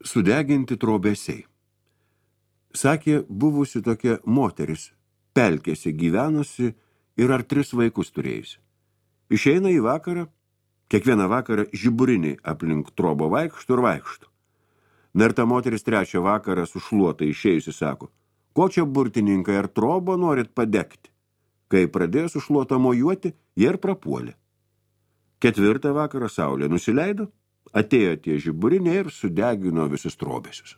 Sudeginti trobesiai. Sakė, buvusi tokia moteris, pelkėse gyvenusi ir ar 3 vaikus turėjusi. Išeina į vakarą, kiekvieną vakarą žiburiniai aplink trobą vaikšto ir vaikšto. Na ir ta moteris 3 vakarą su šluota išėjusi sako, ko čia burtininkai ar trobą norit padegti? Kai pradėjo su šluota mojuoti, jie ir prapuolė. 4 vakarą saulė nusileido, atėjo tie žiburiniai ir sudegino visus trobesius.